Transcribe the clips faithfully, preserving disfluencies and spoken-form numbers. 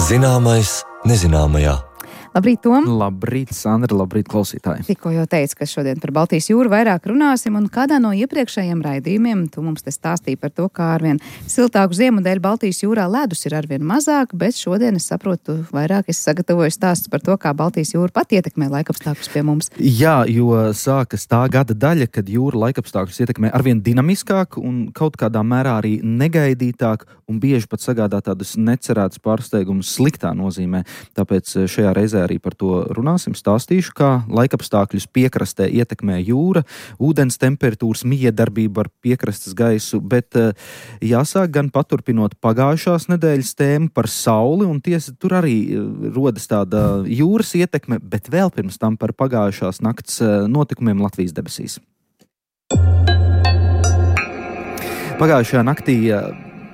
Zināmais nezināmajā. Labrīt, Tom! Labrīt, Sandra, labrīt, klausītāji! Tikko jau teicu, ka šodien par Baltijas jūru vairāk runāsim, un kādā no iepriekšējiem raidījumiem tu mums te stāstīji par to, kā arvien siltāku ziemu dēļ Baltijas jūrā ledus ir arvien mazāk, bet šodien es saprotu, vairāk es sagatavoju stāstus par to, kā Baltijas jūra pat ietekmē laikapstākļus pie mums. Jā, jo sākas tā gada daļa, kad jūra laikapstākļus ietekmē arvien dinamiskāk un kaut kādā mērā arī negaidītāk un bieži pat sagādā tādus necerētus pārsteigumus sliktā nozīmē. Tāpēc šajā reizē arī par to runāsim, stāstīšu, kā laikapstākļus piekrastē ietekmē jūra, ūdens temperatūras miedarbība ar piekrastes gaisu, bet jāsāk gan paturpinot pagājušās nedēļas tēmu par sauli, un tiesa tur arī rodas tāda jūras ietekme, bet vēl pirms tam par pagājušās nakts notikumiem Latvijas debesīs. Pagājušajā naktī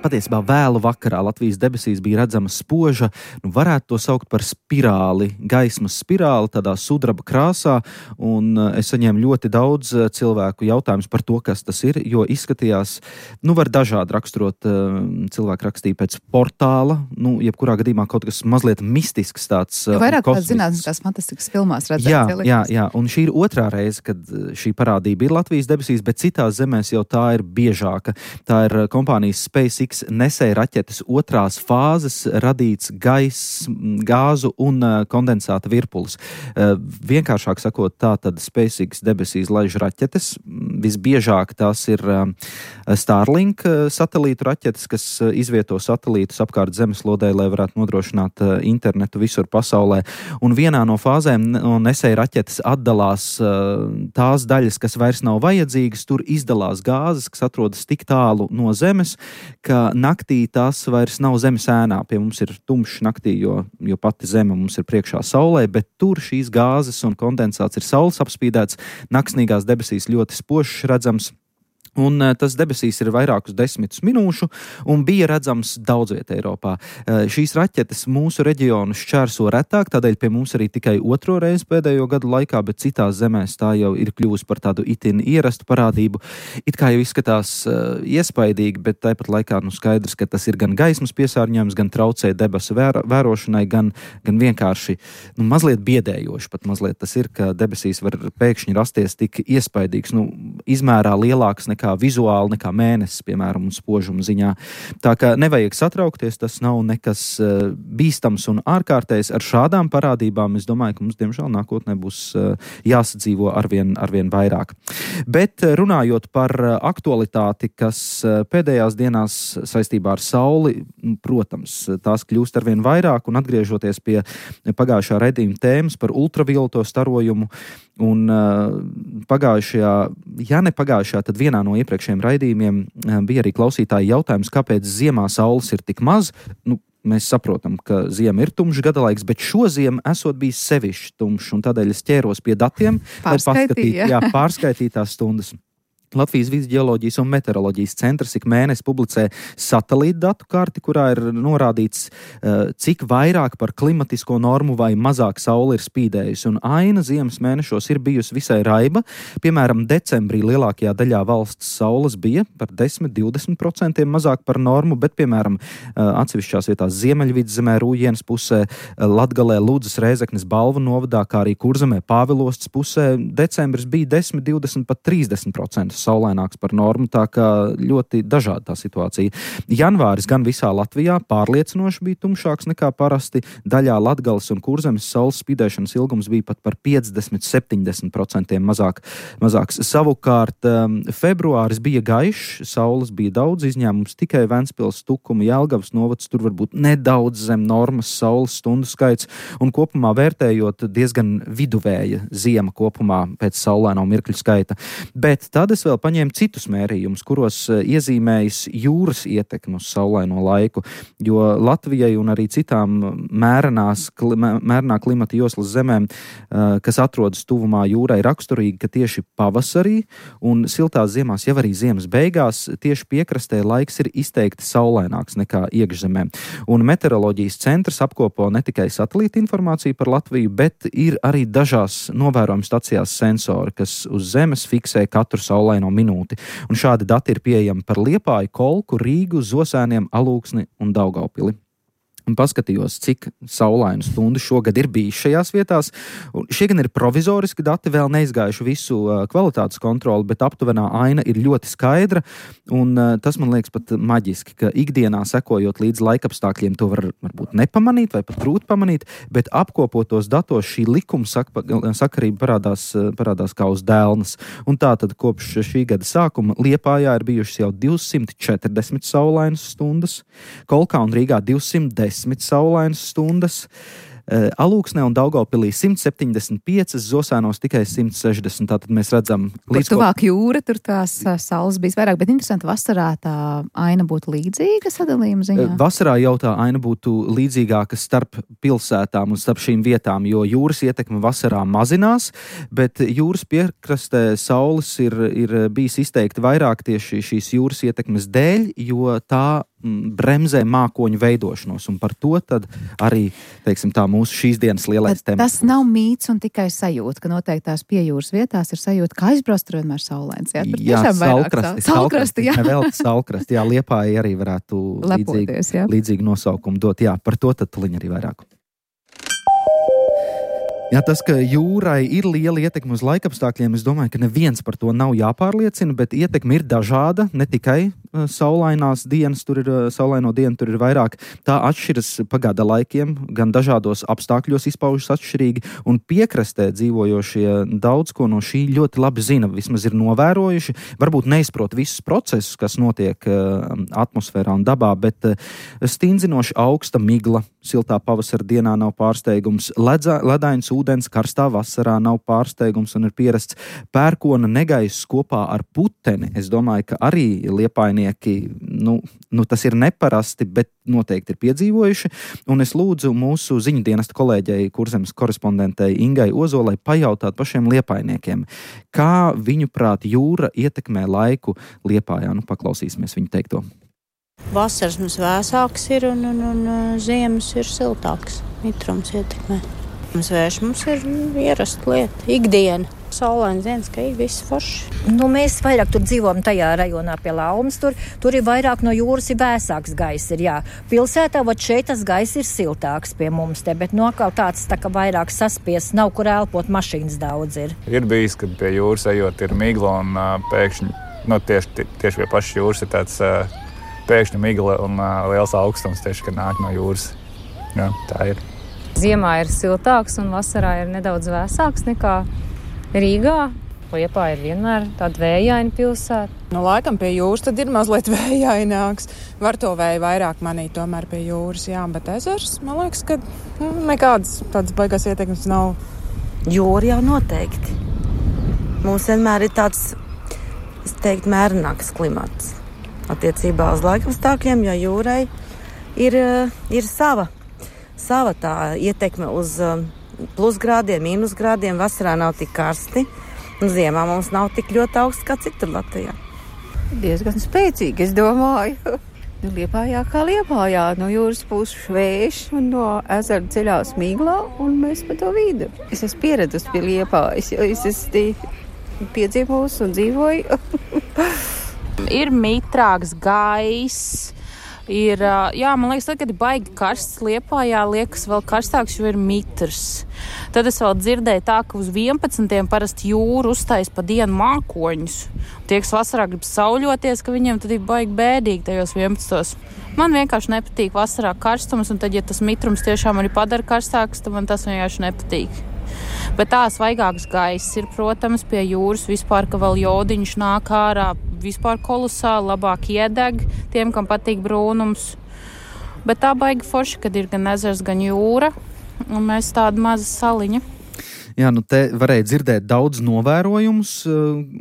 patiesībā vēlu vakarā Latvijas debesīs bija redzama spoža, nu varētu to saukt par spirāli, gaismas spirāli, tādā sudraba krāsā, un es saņēmu ļoti daudz cilvēku jautājumus par to, kas tas ir, jo izskatījās, nu var dažādi raksturot, cilvēki rakstīja pēc portāla, nu jebkurā gadījumā kaut kas mazliet mistisks tāds. Vairāk kāds zinātniskās fantastikas filmās redzēts. Jā, jā, jā, un šī ir otrā reize, kad šī parādība ir Latvijas debesīs, bet citās zemēs jau tā ir biežāka. Tā ir kompānijas SpaceX nesēja raķetes otrās fāzes radīts gaiss, gāzu un kondensāta virpulis. Vienkāršāk sakot, tā tad SpaceX debesīs laiž raķetes. Visbiežāk tās ir Starlink satelītu raķetes, kas izvieto satelītus apkārt zemeslodē, lai varētu nodrošināt internetu visur pasaulē. Un vienā no fāzēm no nesēja raķetes atdalās tās daļas, kas vairs nav vajadzīgas, tur izdalās gāzes, kas atrodas tik tālu no zemes, ka naktī tās vairs nav zemes ēnā. Pie mums ir tumšs naktī, jo, jo pati zeme mums ir priekšā saulē, bet tur šīs gāzes un kondensāts ir saules apspīdēts, naksnīgās debesīs ļoti spožs redzams. Un tas debesīs ir vairākus desmitus minūšu un bija redzams daudz vietā Eiropā. Šīs raķetes mūsu reģionu šķērso retāk, tādēļ pie mums arī tikai otro reizi pēdējo gadu laikā, bet citās zemēs tā jau ir kļuvusi par tādu itin ierastu parādību. It kā jau izskatās uh, iespaidīgi, bet tāpat laikā nu skaidrs, ka tas ir gan gaismas piesārņojums, gan traucē debesu vēro, vērošanai, gan, gan vienkārši nu, mazliet biedējoši. Pat mazliet tas ir, ka debesīs var pēkšņi rasties tik iespaidīgs, nu, izmērā lielāks nekā kā vizuāli, nekā mēnesis, piemēram, un spožuma ziņā. Tā kā nevajag satraukties, tas nav nekas uh, bīstams un ārkārtējs. Ar šādām parādībām es domāju, ka mums, diemžēl, nākotnē būs uh, jāsadzīvo arvien, arvien vairāk. Bet runājot par aktualitāti, kas uh, pēdējās dienās saistībā ar sauli, protams, tās kļūst arvien vairāk, un atgriežoties pie pagājušā raidījuma tēmas par ultravioleto starojumu, un uh, pagājušajā, ja ne pagājušajā, tad vienā no iepriekšējiem raidījumiem bija arī klausītāji jautājums, kāpēc ziemā saules ir tik maz. Nu, mēs saprotam, ka ziema ir tumšs gadalaiks, bet šo ziemu esot bijis sevišķi tumšs, un tādēļ es ķēros pie datiem, lai paskatītu, jā, pārskaitītās stundas. Latvijas Vides ģeoloģijas un meteoroloģijas centrs ik mēnesi publicē satelītu datu karti, kurā ir norādīts, cik vairāk par klimatisko normu vai mazāk saule ir spīdējusi. Un aina ziemas mēnešos ir bijusi visai raiba. Piemēram, decembrī lielākajā daļā valsts saules bija par desmit līdz divdesmit procentiem mazāk par normu, bet, piemēram, atsevišķās vietās Ziemeļvidzemē, Rūjienas pusē, Latgalē, Ludzas, Rēzeknes, Balvu novadā, kā arī Kurzemē, Pāvilostas pusē, decembris bija desmit, divdesmit, pat trīsdesmit procenti saulaināks par normu, tā kā ļoti dažāda tā situācija. Janvāris gan visā Latvijā pārliecinoši bija tumšāks nekā parasti, daļā Latgales un Kurzemes saules spīdēšanas ilgums bija pat par piecdesmit līdz septiņdesmit procentiem mazāk, mazāks. Savukārt, um, februāris bija gaišs, saules bija daudz, izņēmums tikai Ventspils, Tukuma, Jelgavas novads, tur varbūt nedaudz zem normas saules stundu skaits, un kopumā vērtējot diezgan viduvēja ziema kopumā pēc saulaino mirkļu skaita. Bet tad es vēl paņēma citus mērījumus, kuros iezīmējas jūras ietekmi uz saulaino laiku, jo Latvijai un arī citām mērenās, mērenā klimata joslas zemēm, kas atrodas tuvumā jūrai, raksturīgi, ka tieši pavasarī un siltās ziemās, jau arī ziemas beigās, tieši piekrastē laiks ir izteikti saulaināks nekā iekšzemē. Un meteoroloģijas centrs apkopo ne tikai satelīta informāciju par Latviju, bet ir arī dažās novērojuma stacijās sensori, kas uz zemes fiksē katru saulaino minūti. Un šādi dati ir pieejami par Liepāju, Kolku, Rīgu, Zosēniem, Alūksni un Daugaupili. un paskatījos, cik saulainu stundu šogad ir bijis šajās vietās. Un šie gan ir provizoriski dati, vēl neizgājuši visu uh, kvalitātes kontroli, bet aptuvenā aina ir ļoti skaidra, un uh, tas man liekas pat maģiski, ka ikdienā sekojot līdz laikapstākļiem to var varbūt nepamanīt vai pat grūti pamanīt, bet apkopotos datos šī likuma sak sakarība parādās, parādās kā uz dēlnas. Un tā tad kopš šī gada sākuma Liepājā ir bijušas jau divsimt četrdesmit saulainas stundas, Kolkā un Rīgā divsimt desmit saulainas stundas, Alūksnē un Daugavpilī simt septiņdesmit piecas, Zosēnos tikai simt sešdesmit. Tātad mēs redzam... Kur tuvāk jūra, tur tās saules bijis vairāk, bet interesanti, vasarā tā aina būtu līdzīga sadalījuma ziņā? Vasarā jau tā aina būtu līdzīgāka starp pilsētām un starp šīm vietām, jo jūras ietekme vasarā mazinās, bet jūras piekrastē saules ir, ir bijis izteikti vairāk tieši šīs jūras ietekmes dēļ, jo tā bremzē mākoņu veidošanos, un par to tad arī, teiksim tā, mūsu šīs dienas lielais temats. Tas nav mīts un tikai sajūta, ka noteiktās pie jūras vietās ir sajūta, ka aizbrauc tur vienmēr saulains. Jā, tur jā salkrasti. Salkrasti, jā. Nevēl salkrasti, jā, Liepāja arī varētu līdzīgi, līdzīgi nosaukumu dot, jā, par to tad tuliņ arī vairāk. Jā, tas, ka jūrai ir liela ietekme uz laikapstākļiem, es domāju, ka neviens par to nav jāpārliecina, bet ietekme ir dažāda, ne tikai saulainās dienas, tur ir, saulaino dienu tur ir vairāk. Tā atšķiras pa gada laikiem, gan dažādos apstākļos izpaužas atšķirīgi, un piekrastē dzīvojošie daudz ko no šī ļoti labi zina, vismaz ir novērojuši, varbūt neizprot visus procesus, kas notiek atmosfērā un dabā, bet stindzinoši augsta migla, siltā pavasara dienā nav pārsteigums, ledza, ledains ūdens karstā vasarā nav pārsteigums un ir pierasts pērkona negaiss kopā ar puteni. Es domāju, ka arī liepājnieki, nu, nu tas ir neparasti, bet noteikti ir piedzīvojuši. Un es lūdzu mūsu ziņu dienesta kolēģei, Kurzemes korespondentei Ingai Ozolai pajautāt pašiem liepājniekiem, kā viņu prāt jūra ietekmē laiku Liepājā. Nu, paklausīsimies viņu teikto. Vasaras mums vēsāks ir un, un, un ziemas ir siltāks. Mitrums ietekmē. Mums vērš mums ir ierasta lieta. Ikdiena. Saulains dienas, ka ir viss forši. Nu, mēs vairāk tur dzīvojam tajā rajonā pie Laumas. Tur, tur ir vairāk no jūras ir vēsāks gaiss. Ir, jā. Pilsētā, vat šeit tas gaiss ir siltāks pie mums te, bet no kaut tāds tā kā vairāk saspies, nav kur elpot, mašīnas daudz ir. Ir bijis, kad pie jūras ejot ir migla un uh, pēkšņi, nu tieši, tieši pie pašas jūras ir tāds uh, pēkšņi migla un uh, liels augstums tieši, kad nāk no jūras. Jā, tā ir. Ziemā ir siltāks un vasarā ir nedaudz vēsāks nekā Rīgā. Liepāja ir vienmēr tāda vējaina pilsēta. Nu, laikam pie jūras tad ir mazliet vējaināks. Var to vēju vairāk manīt tomēr pie jūras, jā, bet ezers, man liekas, ka nu, nekādas tādas baigās ietekmes nav. Jūra jau noteikti. Mums vienmēr ir tāds, es teiktu, mērenāks klimats attiecībā uz laikapstākļiem, jo jūrai ir, ir sava, sava tā ietekme uz plusgrādiem, mīnusgrādiem. Vasarā nav tik karsti, un ziemā mums nav tik ļoti augsts kā citur Latvijā. Diezgan spēcīgi, es domāju. Nu, Liepājā kā Liepājā, no jūras puses vējš un no ezera ceļās miglā, un mēs pa to vidu. Es esmu pieradusi pie Liepājas, jo es esmu piedzīvojusi un dzīvoju. Ir mitrāks gaiss. Ir, jā, man liekas, tad, kad ir baigi karsts Liepājā, liekas vēl karstāks, jo ir mitrs. Tad es vēl dzirdēju tā, ka uz vienpadsmitiem parasti jūra uztais pa dienu mākoņus. Tie, kas vasarā grib sauļoties, ka viņiem tad ir baigi bēdīgi tajos vienpadsmitos. Man vienkārši nepatīk vasarā karstums, un tad, ja tas mitrums tiešām arī padara karstāks, tad man tas vienkārši nepatīk. Bet tā svaigāks gaiss ir, protams, pie jūras vispār, ka vēl jodiņš nāk ārā, vispār kolosāli, labāk iedeg tiem, kam patīk brūnums. Bet tā baigi forši, kad ir gan ezers, gan jūra, un mēs tāda maza saliņa. Jā, nu te varēja dzirdēt daudz novērojumus,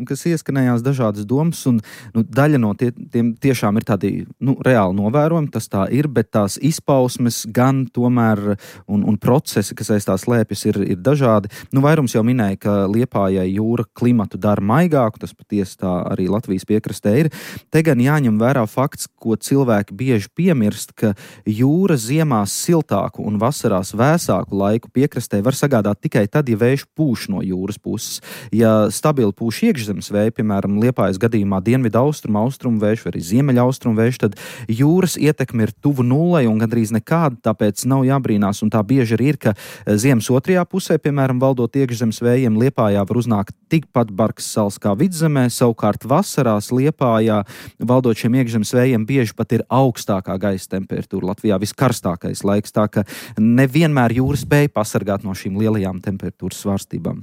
kas ieskanējās dažādas domas, un nu, daļa no tie, tiem tiešām ir tādi nu, reāli novērojumi, tas tā ir, bet tās izpausmes gan tomēr un, un procesi, kas aiz tās slēpjas, ir, ir dažādi. Nu, vairums jau minēja, ka Liepājai jūra klimatu dara maigāku, tas patiesi tā arī Latvijas piekrastē ir. Te gan jāņem vērā fakts, ko cilvēki bieži piemirst, ka jūra ziemās siltāku un vasarās vēsāku laiku piekrastē var sagādāt tikai tad, ja vējš pūš no jūras puses. Ja stabili pūš iekšzemes vēji, piemēram, Liepājas gadījumā dienvidu austrumu, austrumu vējš vai arī ziemeļa austrumu vējš, tad jūras ietekme ir tuvu nullei un gandrīz nekāda, tāpēc nav jābrīnās. Un tā bieži arī ir, ka ziemas otrajā pusē, piemēram, valdot iekšzemes vējiem, Liepājā var uznākt tikpat bargs sals kā vidzemē, savukārt vasarās Liepājā valdot šiem iekšzemes vējiem bieži pat ir augstākā gaisa temperatūra. Latvijā viskarstākais laiks, tā ka nevienmēr jūra spēja pasargāt no šīm lielajām temperatūras svārstībām.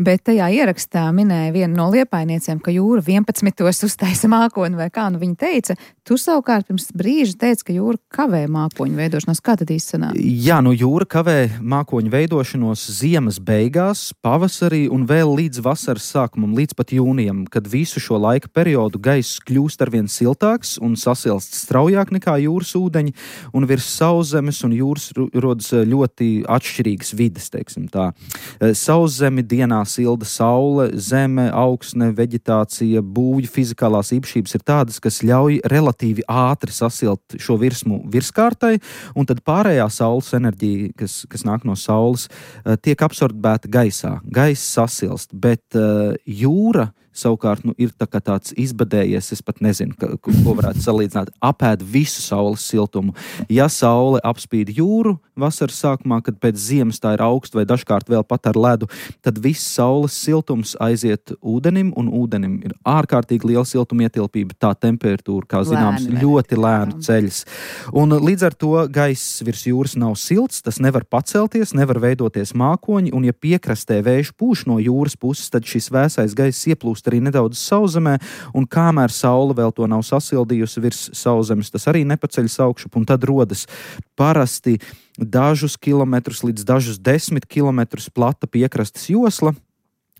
Bet tajā ierakstā minēja viena no liepainiecēm, ka jūra vienpadsmitos uztaisa mākoni, vai kā nu viņa teica. Tu savukārt pirms brīža teici, ka jūra kavē mākoņu veidošanos. Kā tad īsti sanāk? Jā, nu jūra kavē mākoņu veidošanos ziemas beigās, pavasarī un vēl līdz vasaras sākumam, līdz pat jūnijam, kad visu šo laika periodu gaiss kļūst arvien siltāks un sasilst straujāk nekā jūras ūdeņi, un virs sauszemes un jūras rodas ļoti atšķirīgas vides, teiksim tā. Sauszemi dienā silda saule, zeme, augsne, veģetācija, būvju fizikālās īpašības ir tādas, kas ļauj relatīvi ātri sasilt šo virsmu virskārtai, un tad pārējā saules enerģija, kas, kas nāk no saules, tiek absorbēta gaisā. Gaiss sasilst, bet uh, jūra savukārt nu, ir tā kā tāds izbadējies, es pat nezinu, ka, ko varētu salīdzināt, apēd visu saules siltumu. Ja saule apspīd jūru vasaras sākumā, kad pēc ziemas tā ir augsta vai dažkārt vēl pat ar ledu, tad viss saules siltums aiziet ūdenim, un ūdenim ir ārkārtīgi liela siltuma ietilpība, tā temperatūra, kā zināms, lēni, ļoti lēni ceļas. Un līdz ar to gaiss virs jūras nav silts, tas nevar pacelties, nevar veidoties mākoņi, un ja piekrastē vējš pūš no jūras puses, tad šis vēsais gaiss ieplūst arī nedaudz sauszemē, un kamēr saule vēl to nav sasildījusi virs sauszemes, tas arī nepaceļas augšup, un tad rodas parasti dažus kilometrus līdz dažus desmit kilometrus plata piekrastes josla,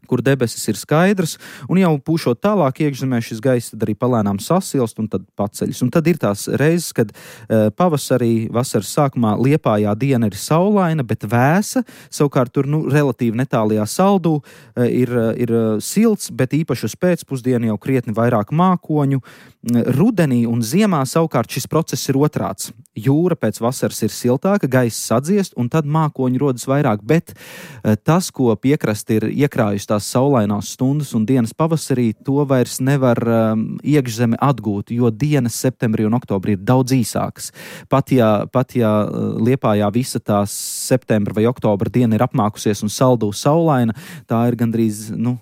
kur debesis ir skaidrs, un jau pūšot tālāk iekšzemē šis gaiss tad arī palēnām sasilst un tad paceļas. Un tad ir tās reizes, kad uh, pavasarī, vasaras sākumā Liepājā diena ir saulaina, bet vēsa, savukārt tur nu, relatīvi netālajā saldū uh, ir, uh, ir uh, silts, bet īpaši uz pēcpusdienu jau krietni vairāk mākoņu. Rudenī un ziemā savukārt šis process ir otrāds. Jūra pēc vasaras ir siltāka, gaiss sadziest, un tad mākoņi rodas vairāk, bet uh, tas, ko piekrasti ir iekrājusi tās saulainās stundas un dienas pavasarī, to vairs nevar um, iekšzeme atgūt, jo dienas septembrī un oktobrī ir daudz īsākas. Pat ja, pat ja Liepājā visa tās septembra vai oktobra diena ir apmākusies un saldū saulaina, tā ir gandrīz nu,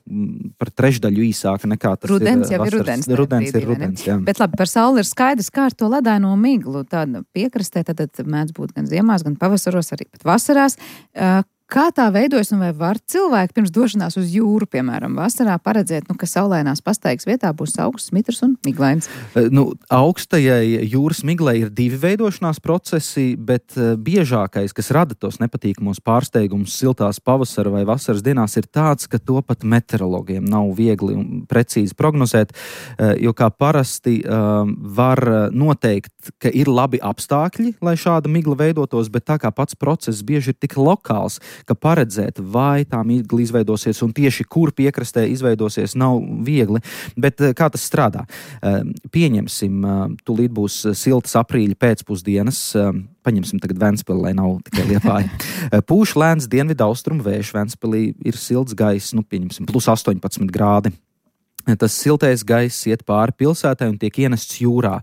par trešdaļu īsāka nekā tas rudens ir jau vasaras. Ir rudens. Rudens ir rudens, jā. Bet labi, par sauli ir skaidrs, kā ar to ledaino miglu. Tāda piekrastē tad, tad mēdz būt gan ziemās, gan pavasaros, arī pat vasarās. Uh, Kā tā veidojas un vai var cilvēki pirms došanās uz jūru, piemēram, vasarā paredzēt, nu, ka saulainās pastaigas vietā būs augsts, mitrs un miglains? Nu, augstajai jūras miglai ir divi veidošanās procesi, bet biežākais, kas rada tos nepatīkamos pārsteigumus siltās pavasara vai vasaras dienās, ir tāds, ka to pat meteorologiem nav viegli un precīzi prognozēt, jo kā parasti var noteikt, ka ir labi apstākļi, lai šāda migla veidotos, bet tā kā pats process bieži ir tik lokāls, ka paredzēt, vai tā migla izveidosies un tieši kur piekrastē izveidosies, nav viegli. Bet kā tas strādā? Pieņemsim, tūlīt būs siltas aprīļa pēcpusdienas, paņemsim tagad Ventspili, lai nav tikai Liepāja. Pūš lēns dienvidu austrumu vējš, Ventspilī ir silts gaiss, nu pieņemsim, plus astoņpadsmit grādi. Tas siltais gaiss iet pāri pilsētai un tiek ienests jūrā,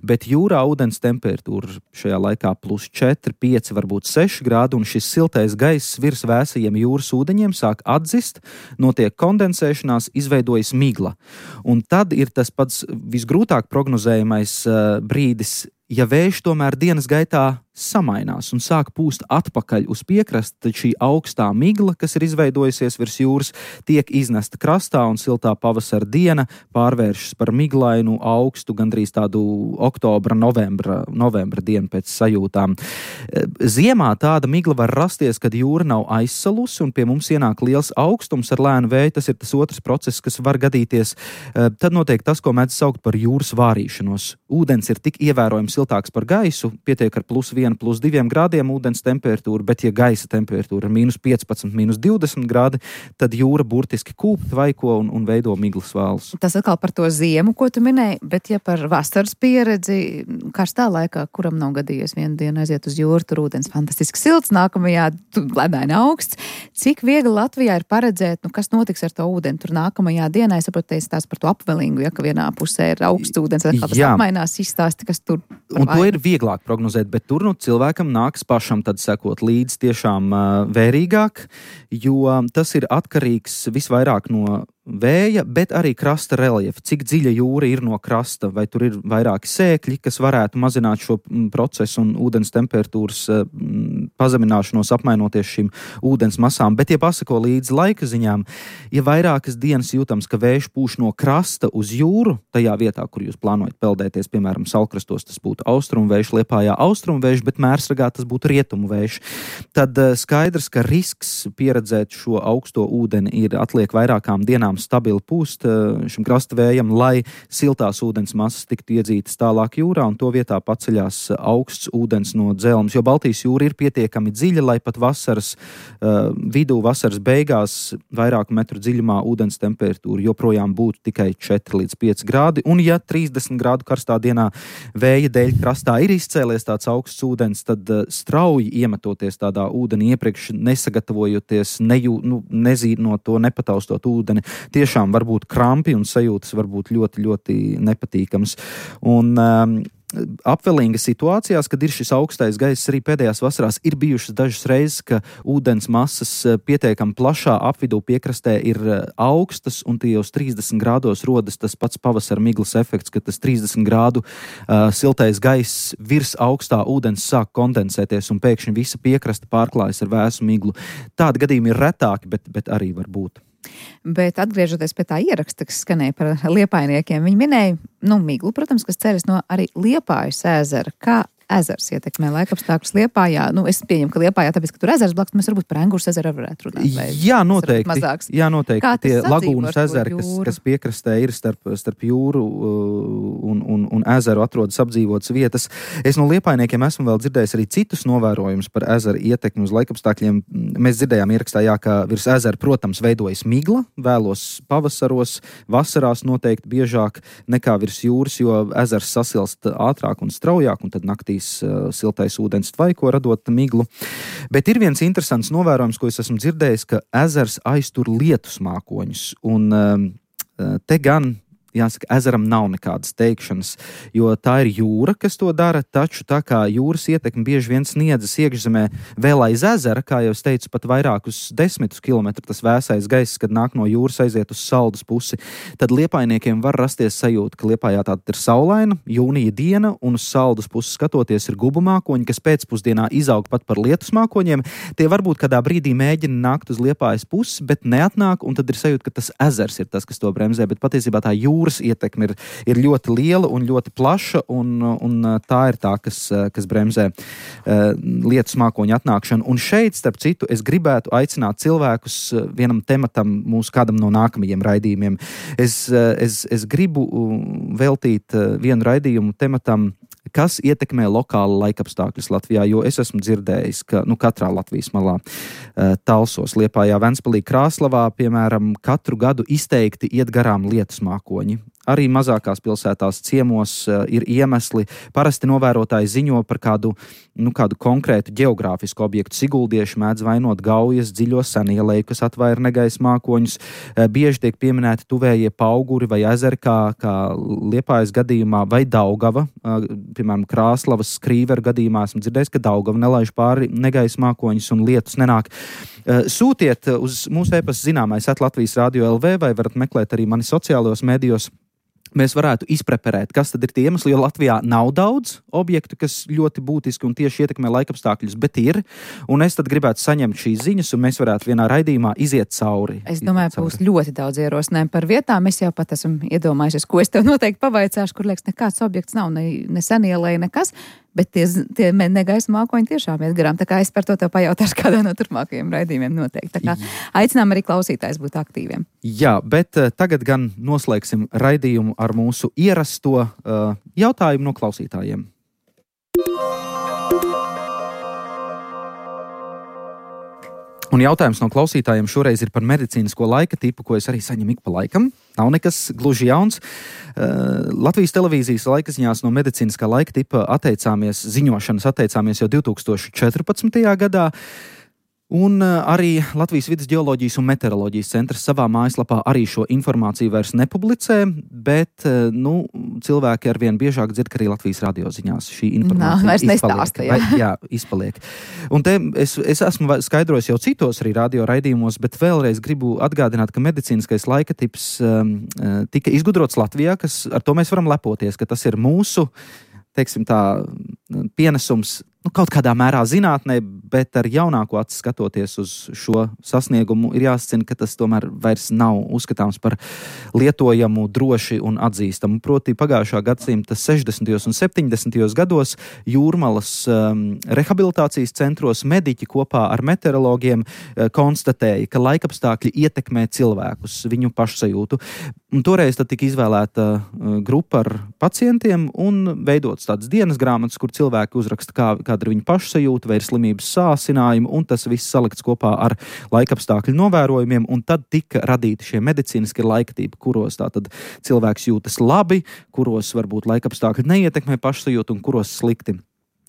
bet jūrā ūdens temperatūra šajā laikā plus četri, pieci, varbūt seši grādi, un šis siltais gaiss virs vēsajiem jūras ūdeņiem sāk atzist, notiek kondensēšanās, izveidojas migla. Un tad ir tas pats visgrūtāk prognozējamais uh, brīdis, ja vējš tomēr dienas gaitā samainās un sāk pūst atpakaļ uz piekrasti, tad šī augstā migla, kas ir izveidojusies virs jūras, tiek iznesta krastā un siltā pavasara diena pārvēršas par miglainu, augstu, gandrīz tādu oktobra, novembra, novembra dienu pēc sajūtām. Ziemā tāda migla var rasties, kad jūra nav aizsalusi un pie mums ienāk liels augstums ar lēnu vēju. Tas ir tas otrs process, kas var gadīties. Tad notiek tas, ko mēdz saukt par jūras vārīšanos. Ūdens ir tik ievērojami siltāks par gaisu, pietiek ar plus viena plus diviem grādiem ūdens temperatūra, bet ja gaisa temperatūra ir mīnus piecpadsmit, mīnus divdesmit grādi, tad jūra burtiski kūp, tvaiko un, un veido miglas valus. Tas atkal par to ziemu, ko tu minēji, bet ja par vasaras pieredzi, karstā laikā, kuram nav gadījies vienu dienu aiziet uz jūru, tur ūdens fantastiski silts, nākamajā ledaini augsts. Cik viegli Latvijā ir paredzēt, nu, kas notiks ar to ūdeni tur nākamajā dienā? Es saprotu, teicu tās par to apvelingu, ja ka vienā pusē ir augsts ūdens, vai kā tas apmainās, izstāsti, kas tur. Un to ir vieglāk prognozēt, bet tur nu cilvēkam nāks pašam tad sekot līdz tiešām uh, vērīgāk, jo tas ir atkarīgs visvairāk no vēja, bet arī krasta reliefa. Cik dziļa jūra ir no krasta, vai tur ir vairāki sēkļi, kas varētu mazināt šo procesu un ūdens temperatūras m, pazemināšanos apmainoties šīm ūdens masām. Bet, ja pasako līdz laika ziņām, ja vairākas dienas jūtams, ka vējš pūš no krasta uz jūru, tajā vietā, kur jūs plānojat peldēties, piemēram, Saulkrastos, tas būtu austrumu vējš, Liepājā austrumu vējš, bet Mērsragā tas būtu rietumu vējš, tad skaidrs, ka risks pieredzēt šo augsto ūdeni ir atliek vairākām dienām stabili pūst šim krasta vējam, lai siltās ūdens masas tiktu iedzītas tālāk jūrā un to vietā paceļās augsts ūdens no dzelmes, jo Baltijas jūra ir pietiekami dziļa, lai pat vasaras uh, vidū, vasaras beigās vairāku metru dziļumā ūdens temperatūra joprojām būtu tikai četri līdz pieci grādi, un ja trīsdesmit grādu karstā dienā vēja dēļ krastā ir izcēlies tāds augsts ūdens, tad uh, strauji iemetoties tādā ūdeni iepriekš nesagatavojoties, nejū, nu, nezīnot to, nepataustot ūdeni, tiešām var būt krampi un sajūtas var būt ļoti, ļoti nepatīkams. Un um, apvelīga situācijās, kad ir šis augstais gaiss, arī pēdējās vasarās ir bijušas dažas reizes, ka ūdens masas pietiekami plašā apvidū piekrastē ir augstas un tie uz trīsdesmit grādos rodas tas pats pavasara miglas efekts, ka tas trīsdesmit grādu uh, siltais gaiss virs augstā ūdens sāk kondensēties un pēkšņi visa piekrasta pārklājas ar vēsu miglu. Tādi gadījumi ir retāki, bet, bet arī var būt. Bet atgriežoties pie tā ieraksta, kas skanēja par liepājniekiem, viņi minēja, nu, miglu, protams, kas ceļas no arī Liepājas ezera. Kā ezers ietekmē laikapstākļus Liepājā? Nu, es pieņemu, ka Liepājā, tāpēc, ka tur ezers blakus, mēs varbūt par Engures ezeru varētu runāt. Vai jā, noteikti. Jā, noteikti. Tie lagūnas ezeri, kas, kas piekrastē ir starp, starp jūru un, un, un ezeru atrodas apdzīvotas vietas. Es no liepājniekiem esmu vēl dzirdējis arī citus novērojumus par ezeru ietekmi uz laikapstākļiem. Mēs dzirdējām ierakstā, jā, ka virs ezera, protams, veidojas migla, vēlos pavasaros, vasarās noteikti biežāk nekā virs jūras, jo ezers sasilst ātrāk un straujāk, un tad naktīs siltais ūdens tvaiko, radot miglu. Bet ir viens interesants novērojums, ko es esmu dzirdējis, ka ezers aiztur lietus mākoņus. Un te gan jāsaka, ezeram nav nekādas teikšanas, jo tā ir jūra, kas to dara, taču tā kā jūras ietekme bieži vien sniedzas iekšzemē vēl aiz ezera, kā jau es teicu, pat vairākus desmitus kilometru tas vēsais gaiss, kad nāk no jūras aiziet uz Saldus pusi, tad liepājniekiem var rasties sajūta, ka Liepājā tāda ir saulaina, jūnija diena, un uz Saldus pusi skatoties ir gubu mākoņi, kas pēcpusdienā izaug pat par lietus mākoņiem. Tie varbūt kādā brīdī mēģina nākt uz Liepājas pusi, bet neatnāk, un tad ir sajūta, ka tas ezers ir tas, kas to bremzē, bet patiesībā tā jūra Jūras ietekme ir, ir ļoti liela un ļoti plaša, un, un tā ir tā, kas, kas bremzē uh, lietus mākoņu atnākšanu. Un šeit, starp citu, es gribētu aicināt cilvēkus vienam tematam mūsu kādam no nākamajiem raidījumiem. Es, es, es gribu veltīt vienu raidījumu tematam, kas ietekmē lokāli laikapstākļus Latvijā, jo es esmu dzirdējis, ka nu, katrā Latvijas malā uh, Talsos, Liepājā, Ventspilī, Krāslavā, piemēram, katru gadu izteikti iet garām lietus mākoņi. Arī mazākās pilsētās ciemos uh, ir iemesli. Parasti novērotāji ziņo par kādu, nu, kādu konkrētu geogrāfisku objektu. Siguldieši mēdz vainot Gaujas dziļo senieleju, kas atvaira negaisa mākoņus. Uh, bieži tiek pieminēti tuvējie Pauguri vai ezeri, kā, kā Liepājas gadījumā, vai Daugava. Uh, piemēram, Krāslavas Skrīveru gadījumā esmu dzirdējis, ka Daugava nelaiž pāri negaisa mākoņus un lietus nenāk. Uh, sūtiet uz mūsu e-pasta zināmais at Latvijas Radio L V vai varat meklēt arī mani sociālajos medijos. Mēs varētu izpreparēt, kas tad ir tie iemesli, jo Latvijā nav daudz objektu, kas ļoti būtiski un tieši ietekmē laikapstākļus, bet ir. Un es tad gribētu saņemt šīs ziņas, un mēs varētu vienā raidījumā iziet cauri. Es domāju, ka būs ļoti daudz ierosinājumu par vietām. Es jau pat esmu iedomājušies, ko es tev noteikti pavaicāšu, kur liekas, nekāds objekts nav, ne, ne senielēja, nekas. Bet tie, tie negaisa mākoņi tiešām iet garām. Tā kā es par to tev pajautāšu kādā no turpmākajiem raidījumiem noteikti. Tā kā aicinām arī klausītājs būt aktīviem. Jā, bet uh, tagad gan noslēgsim raidījumu ar mūsu ierasto uh, jautājumu no klausītājiem. Un jautājums no klausītājiem šoreiz ir par medicīnisko laika tipu, ko es arī saņemu ik pa laikam. Nav nekas gluži jauns. Uh, Latvijas televīzijas laikaziņās no medicīniskā laika tipa atteicāmies, ziņošanas atteicāmies jau divi tūkstoši četrpadsmitajā gadā. Un uh, arī Latvijas vides geoloģijas un meteoroloģijas centrs savā mājaslapā arī šo informāciju vairs nepublicē, bet uh, nu, cilvēki arvien biežāk dzird, ka arī Latvijas radioziņās šī informācija Nā, vairs izpaliek. nestāsta, jā. Vai, jā, izpaliek. Un te es, es esmu skaidrojis jau citos arī radio raidījumos, bet vēlreiz gribu atgādināt, ka medicīniskais laika tips um, tika izgudrots Latvijā, kas ar to mēs varam lepoties, ka tas ir mūsu, teiksim tā, pienesums nu, kaut kādā mērā zinātnē, bet ar jaunāko aci skatoties uz šo sasniegumu ir jāsacina, ka tas tomēr vairs nav uzskatāms par lietojamu, droši un atzīstamu. Proti pagājušā gadsimta sešdesmitajos un septiņdesmitajos gados Jūrmalas um, rehabilitācijas centros mediķi kopā ar meteorologiem uh, konstatēja, ka laikapstākļi ietekmē cilvēkus, viņu pašsajūtu. Un toreiz tad tika izvēlēta uh, grupa ar pacientiem un veidots tādas dienas grāmatas, kur cilvēki uzraksta, kā, kāda ir viņa pašsajūta, vai ir slimības sācinājumi, un tas viss salikts kopā ar laikapstākļu novērojumiem, un tad tika radīti šie medicīniskie laiktipi, kuros tātad cilvēks jūtas labi, kuros varbūt laikapstākļi neietekmē pašsajūtu un kuros slikti.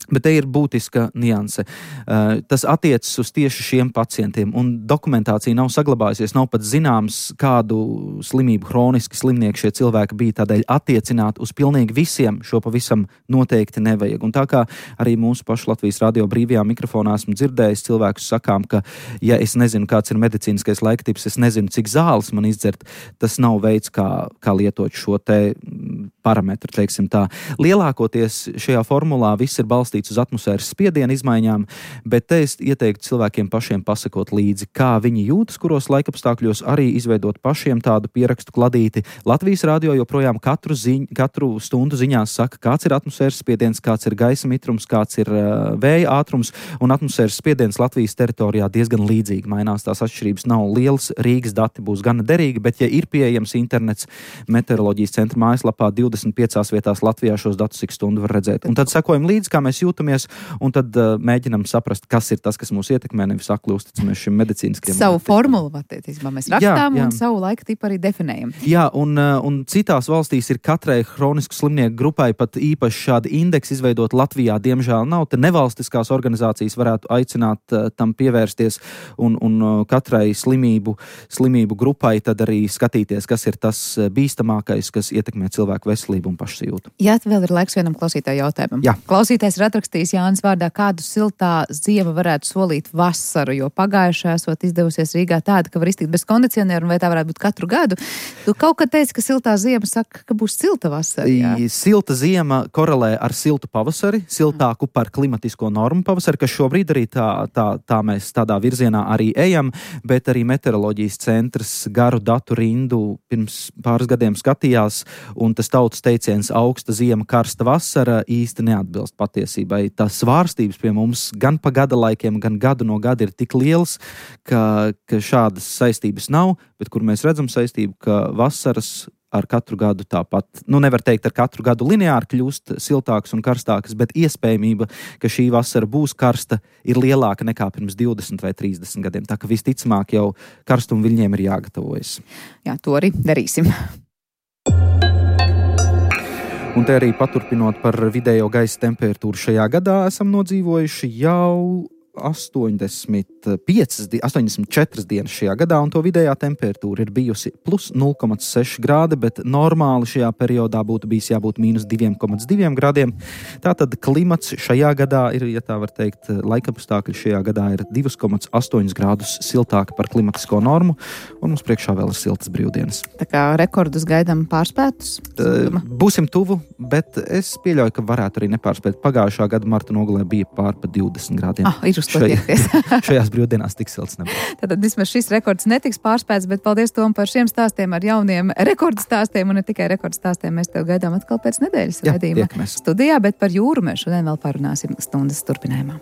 Bet te ir būtiska nianse. Uh, tas attiecas uz tieši šiem pacientiem, un dokumentācija nav saglabājusies, nav pat zināms, kādu slimību hroniski slimnieki šie cilvēki bija, tādēļ attiecināt uz pilnīgi visiem šo pavisam noteikti nevajag. Un tā kā arī mūsu pašu Latvijas radio brīvajā mikrofonā esmu dzirdējis cilvēkus sakām, ka ja es nezinu, kāds ir medicīniskais laiktips, es nezinu, cik zāles man izdzert, tas nav veids, kā, kā lietot šo te parametru, teiksim tā. Lielākoties šajā formulā viss ir balstīts uz atmosfēras spiediena izmaiņām, bet te es ieteiktu cilvēkiem pašiem pasakot līdzi, kā viņi jūtas, kuros laikapstākļos, arī izveidot pašiem tādu pierakstu kladīti. Latvijas radio joprojām katru, ziņ, katru stundu ziņās saka, kāds ir atmosfēras spiediens, kāds ir gaisa mitrums, kāds ir uh, vēja ātrums, un atmosfēras spiediens Latvijas teritorijā diezgan līdzīgi mainās. Tās atšķirības nav lielas, Rīgas dati būs gana derīgi, bet ja ir pieejams internets meteoroloģijas centra mājaslapā divdesmit piecās vietās Latvijā šos datus ik stundu var redzēt. Un tad sekojam līdzi, kā mēs jūtamies, un tad uh, mēģinam saprast, kas ir tas, kas mūs ietekmē, nevis akli uzticamies šim medicīniskiem. Savu formulu, attiecībā, mēs rakstām jā, jā. un savu laika tipu arī definējam. Jā, un, uh, un citās valstīs ir katrai hronisku slimnieku grupai pat īpaši šādi indeksi izveidot. Latvijā, diemžēl, nav. Te nevalstiskās organizācijas varētu aicināt uh, tam pievērsties un, un uh, katrai slimību, slimību grupai tad arī skatīties, kas ir tas bīstamākais, kas ietekmē cilvēku veselību un pašsajūtu. Jā, vēl ir laiks vienam klausītāju jautājumam. Jā. Klausītājs ir atrakstījis Jānis vārdā, kādu siltā ziema varētu solīt vasaru, jo pagājušā esot izdevusies Rīgā tāda, ka var iztikt bez kondicionieru, un vai tā varētu būt katru gadu. Tu kaut kad teici, ka siltā ziema saka, ka būs silta vasara. Jā. Silta ziema korelē ar siltu pavasari, siltāku par klimatisko normu pavasari, kas šobrīd arī tā, tā, tā mēs tādā virzienā arī ejam, bet arī meteoroloģijas centrs garu datu rindu pirms pāris gadiem skatījās, un tas tautas teiciens augsta ziema, karsta vasara īsti neatbilst patiesībai. Tās svārstības pie mums gan pa gada laikiem, gan gadu no gada ir tik liels, ka, ka šādas saistības nav, bet kur mēs redzam saistību, ka vasaras ar katru gadu tāpat, nu nevar teikt ar katru gadu lineāri kļūst siltākas un karstākas, bet iespējamība, ka šī vasara būs karsta, ir lielāka nekā pirms divdesmit vai trīsdesmit gadiem. Tā ka visticamāk jau karstuma viļņiem ir jāgatavojas. Jā, to arī darīsim. Un te arī paturpinot par vidējo gaisa temperatūru šajā gadā, esam nodzīvojuši jau astoņdesmit piecas, astoņdesmit četras dienas šajā gadā, un to vidējā temperatūra ir bijusi plus nulle komats seši grādi, bet normāli šajā periodā būtu bijis jābūt mīnus divi komats divi grādiem. Tātad klimats šajā gadā ir, ja tā var teikt, laikapstākļi šajā gadā ir divi komats astoņi grādus siltāki par klimatisko normu, un mums priekšā vēl ir siltas brīvdienas. Tā kā rekordus gaidām pārspētus? Uh, būsim tuvu, bet es pieļauju, ka varētu arī nepārspēt. Pagājušā gada marta nogalē bija pār pa divdesmit grādiem. Ah, ir uz to tiekties. Šajās brīvdienās tik silts nebūs. Tātad vismaz šis rekords netiks pārspēts, bet paldies, Tom, par šiem stāstiem ar jauniem rekordu stāstiem, un ne tikai rekordu stāstiem. Mēs tev gaidām atkal pēc nedēļas raidījuma studijā, bet par jūru mēs šodien vēl parunāsim stundas turpinājumā.